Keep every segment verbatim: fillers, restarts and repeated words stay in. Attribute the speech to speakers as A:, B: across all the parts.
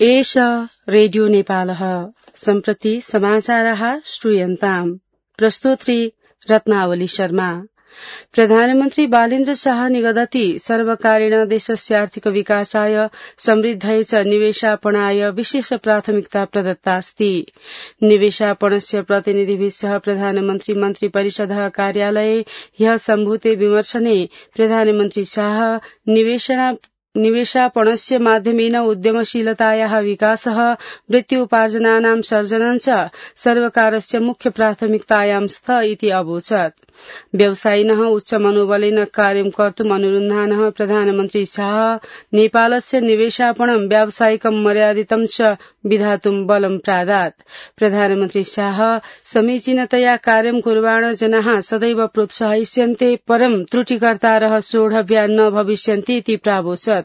A: एष रेडियो नेपालः सम्प्रति समाचारः श्रूयन्ताम्। प्रस्तोत्री रत्नावली शर्मा। प्रधानमन्त्री बालेन्द्र शाह निगदति सर्वकारेण देशस्य आर्थिक विकासाय समृद्ध्यै च निवेशापणाय विशेष प्राथमिकता प्रदत्तास्ति। निवेशापणस्य प्रतिनिधिभिः सह प्रधानमन्त्री मन्त्री परिषदः कार्यालये ह्यः सम्भूते विमर्शने प्रधानमन्त्री शाह निवेशना निवेशापणस्य माध्यमेन उद्यमशीलतायाः विकासः वृत्त्युपार्जनानां सर्जनं च सर्वकारस्य मुख्य प्राथमिकतायां स्त इति अवोचत्। व्यवसायिनः उच्च मनोबलेन कार्यं कर्तुम् अनुरुन्धानः प्रधानमन्त्री शाह नेपालस्य निवेशापणं व्यावसायिकं मर्यादितं च विधातुं बलं प्रादात्। प्रधानमन्त्री शाह समीचीनतया कार्यं कुर्वाण जनाः सदैव प्रोत्साहिष्यन्ते परं त्रुटिकर्तारः सोढव्या न भविष्यन्ति इति प्रावोचत्।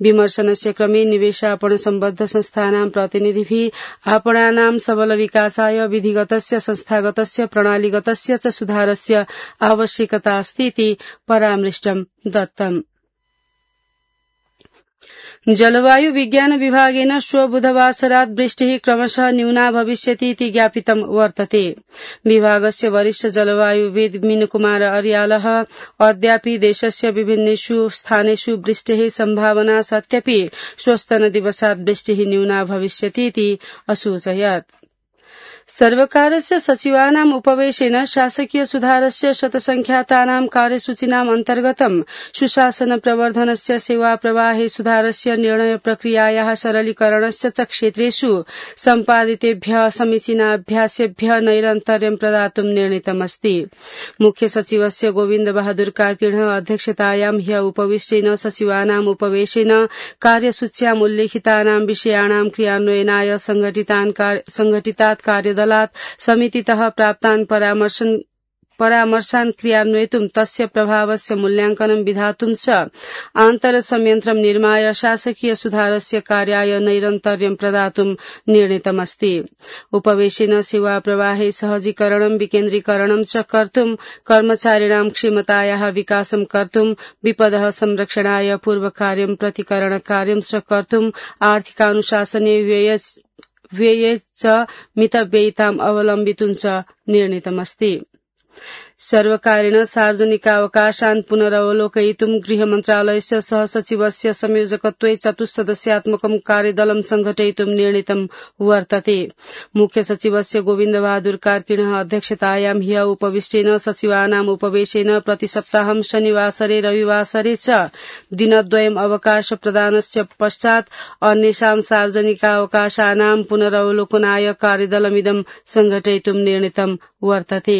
A: विमर्शनस्य क्रमे निवेशापण सम्बद्ध संस्थानां प्रतिनिधिभिः आपणानां सबल विकासाय विधिगतस्य संस्थागतस्य प्रणालीगतस्य च सुधारस्य आवश्यकता अस्ति इति परामृष्टं दत्तम्। जलवायु विज्ञान विभागेन श्व बुधवासरात् वृष्टिः क्रमशः न्यूना भविष्यति इति ज्ञापितं वर्तते। विभागस्य वरिष्ठ जलवायुविद् मीनकुमार अर्यालः अद्यापि देशस्य विभिन्नेषु स्थानेषु वृष्टेः सम्भावना सत्यपि श्वस्तनदिवसात् वृष्टिः न्यूना भविष्यति इति असूचयत्। सर्वकारस्य सचिवानाम् उपवेशेन शासकीय सुधारस्य शतसंख्यातानां कार्यसूचीनाम् अन्तर्गतं सुशासन प्रवर्धनस्य सेवा प्रवाहे सुधारस्य निर्णय प्रक्रियायाः सरलीकरणस्य च क्षेत्रेषु सम्पादितेभ्यः समीचीनाभ्यासेभ्यः नैरन्तर्यं प्रदातुं निर्णीतमस्ति। मुख्य सचिवस्य गोविन्द बहादुर कार्कीणः अध्यक्षतायां ह्यः उपविष्टेन सचिवानाम् उपवेशेन कार्यसूच्याम् उल्लेखितानां विषयाणां क्रियान्वयनाय संघटितात् कार्य दलात् समितितः प्राप्तान् परामर्शन परामर्शान् क्रियान्वयितुं तस्य प्रभावस्य मूल्यांकनं विधातुं च आन्तर संयन्त्रं निर्माय शासकीय सुधारस्य कार्याय नैरन्तर्यं प्रदातुं निर्णीतमस्ति। उपवेशेन सेवा प्रवाहे सहजीकरणं विकेन्द्रीकरणं च कर्तुं कर्मचारिणां क्षमतायाः विकासं कर्तुं विपदः संरक्षणाय पूर्वकार्यं प्रतिकरण कार्यं च कर्तुं आर्थिकानुशासने व्यय व्यये च मितव्ययिताम् अवलम्बितुं च निर्णीतमस्ति। सर्वकारेण सार्वजनिकावकाशान् पुनरवलोकयितुं गृहमन्त्रालयस्य सहसचिवस्य संयोजकत्वे चतुस्सदस्यात्मकं कार्यदलं संघटयितुं निर्णीतं वर्तते। मुख्य सचिवस्य गोविन्द बहादुर कार्कीणः अध्यक्षतायां ह्यः उपविष्टेन सचिवानाम् उपवेशेन प्रतिसप्ताहं शनिवासरे रविवासरे च दिनद्वयम् अवकाश प्रदानस्य पश्चात् अन्येषां सार्वजनिकावकाशानां पुनरवलोकनाय कार्यदलमिदं संघटयितुं निर्णीतं वर्तते।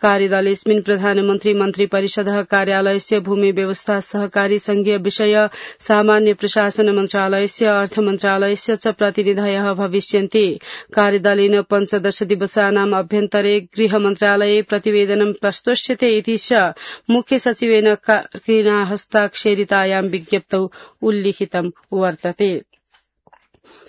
A: कार्यदलेऽस्मिन् प्रधानमन्त्री मन्त्री परिषदः कार्यालयस्य भूमि व्यवस्था सहकारी संघीय विषय सामान्य प्रशासन मन्त्रालयस्य अर्थ मन्त्रालयस्य च प्रतिनिधयः भविष्यन्ति। कार्यदलेन पञ्चदश दिवसानाम् अभ्यन्तरे गृह मन्त्रालये प्रतिवेदनं प्रस्तोष्यते इति च मुख्य सचिवेन कार्कीणा हस्ताक्षरितायां विज्ञप्तौ उल्लिखितं वर्तते।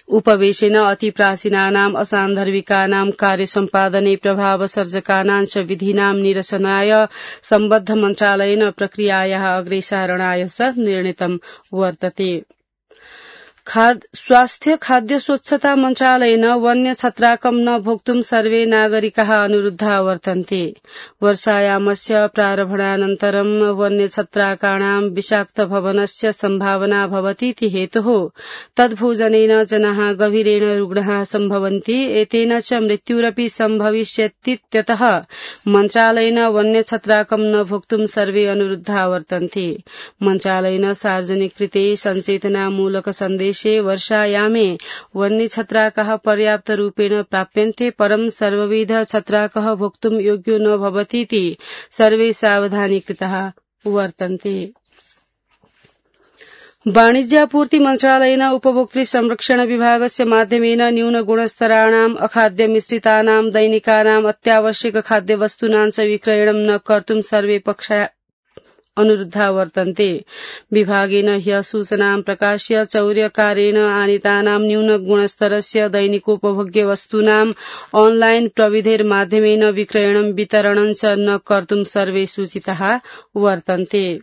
A: उपवेशेन अतिप्राचीनानाम् असान्धर्विकानां कार्यसम्पादने प्रभावसर्जकानां च विधीनां निरसनाय सम्बद्ध मन्त्रालयेन प्रक्रियायाः अग्रेसारणाय च निर्णीतं वर्तते। स्वास्थ्य खाद्य स्वच्छता मन्त्रालयेन वन्य छत्राकं न भोक्तुं सर्वे नागरिकाः अनुरुद्धा वर्तन्ते। वर्षायामस्य प्रारम्भानन्तरं वन्य छत्राकाणां विषाक्त भवनस्य सम्भावना भवतीति हेतुः तद्भोजनेन जनाः गभीरेण रुग्णाः सम्भवन्ति। एतेन च मृत्युरपि सम्भविष्यतीत्यतः मन्त्रालयेन वन्य छत्राकं न भोक्तुं सर्वे अनुरुद्धा वर्तन्ते। मन्त्रालयेन सार्वजनिकृते सञ्चेतनामूलक सन्देश वर्षायामे वन्य छत्राकः पर्याप्त रूपेण प्राप्यन्ते परं सर्वविध छत्राकः भोक्तुं योग्यो न भवतीति सर्वे सावधानीकृताः वर्तन्ते। वाणिज्यापूर्ति मन्त्रालयेन उपभोक्तृ संरक्षण विभागस्य माध्यमेन न्यून गुणस्तराणाम् अखाद्य मिश्रितानां दैनिकानाम् अत्यावश्यक खाद्यवस्तूनां च विक्रयणं न कर्तुं सर्वे पक्षा अनुरुद्धा वर्तन्ते। विभागेन ह्यः सूचनां प्रकाश्य चौर्यकारेण आनीतानां न्यून गुणस्तरस्य दैनिकोपभोग्य वस्तूनाम् ऑनलाइन प्रविधेर माध्यमेन विक्रयणं वितरणं च न कर्तुं सर्वे सूचिताः वर्तन्ते।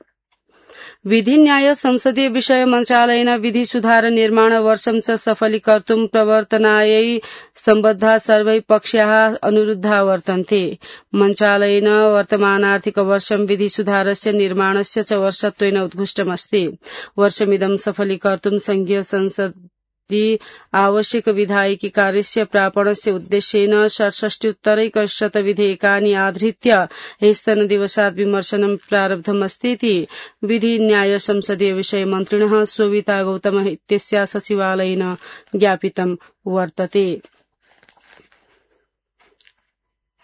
A: विधि न्याय संसदीय विषय मन्त्रालयेन विधि सुधार निर्माण वर्षं च सफलीकर्तुं प्रवर्तनायै सम्बद्धा सर्वै पक्षाः अनुरुद्धा वर्तन्ते। मन्त्रालयेन वर्तमानार्थिक वर्षं विधि सुधारस्य निर्माणस्य च वर्षत्वेन उद्घुष्टमस्ति। वर्षमिदं सफलीकर्तुं संघीय संसदि आवश्यक विधायिकी कार्यस्य प्रापणस्य उद्देश्येन षट्षष्ट्युत्तरैकशत विधेयकानि आधृत्य ह्यस्तनदिवसात् विमर्शनं प्रारब्धमस्तीति विधि न्याय संसदीय विषय मन्त्रिणः सोविता गौतमः इत्यस्या सचिवालयेन ज्ञापितं वर्तते।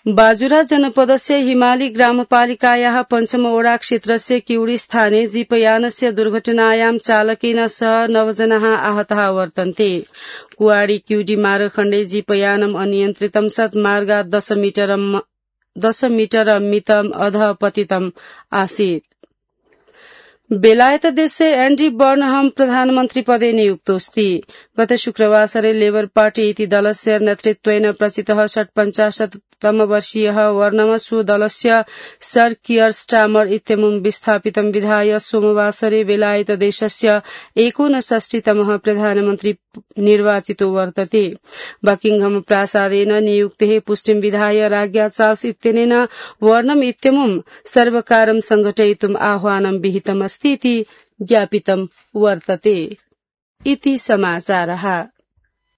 A: बाजुरा जनपदस्य हिमाली ग्रामपालिकायाः पञ्चमवडा क्षेत्रस्य किउडी स्थाने जीपयानस्य दुर्घटनायां चालकेन सह नवजनाः आहताः वर्तन्ते। कुवाडी किउडी मार्गखण्डे जीपयानम् अनियन्त्रितं सत् मार्गात् दश मीटर दश मीटर मितम् अधः पतितम् आसीत्। बेलायतदेशे एन्डी बर्नहम प्रधानमन्त्री पदे नियुक्तोऽस्ति। गत शुक्रवासरे लेबर पार्टी इति दलस्य नेतृत्वेन प्रचितः षट्पञ्चाशत्तमवर्षीयः वर्णम स्वदलस्य सर कियर स्टामर इत्यमुं विस्थापितं विधाय सोमवासरे बेलायतदेशस्य एकोनषष्टितमः प्रधानमन्त्री निर्वाचितो वर्तते। बकिंघम प्रासादेन नियुक्तेः पुष्टिं विधाय राज्ञा चार्ल्स इत्यनेन वर्णम इत्यमुं सर्वकारं संघटयितुम् आह्वानं विहितमस्ति इति ज्ञापितं वर्तते। इति समाचारः।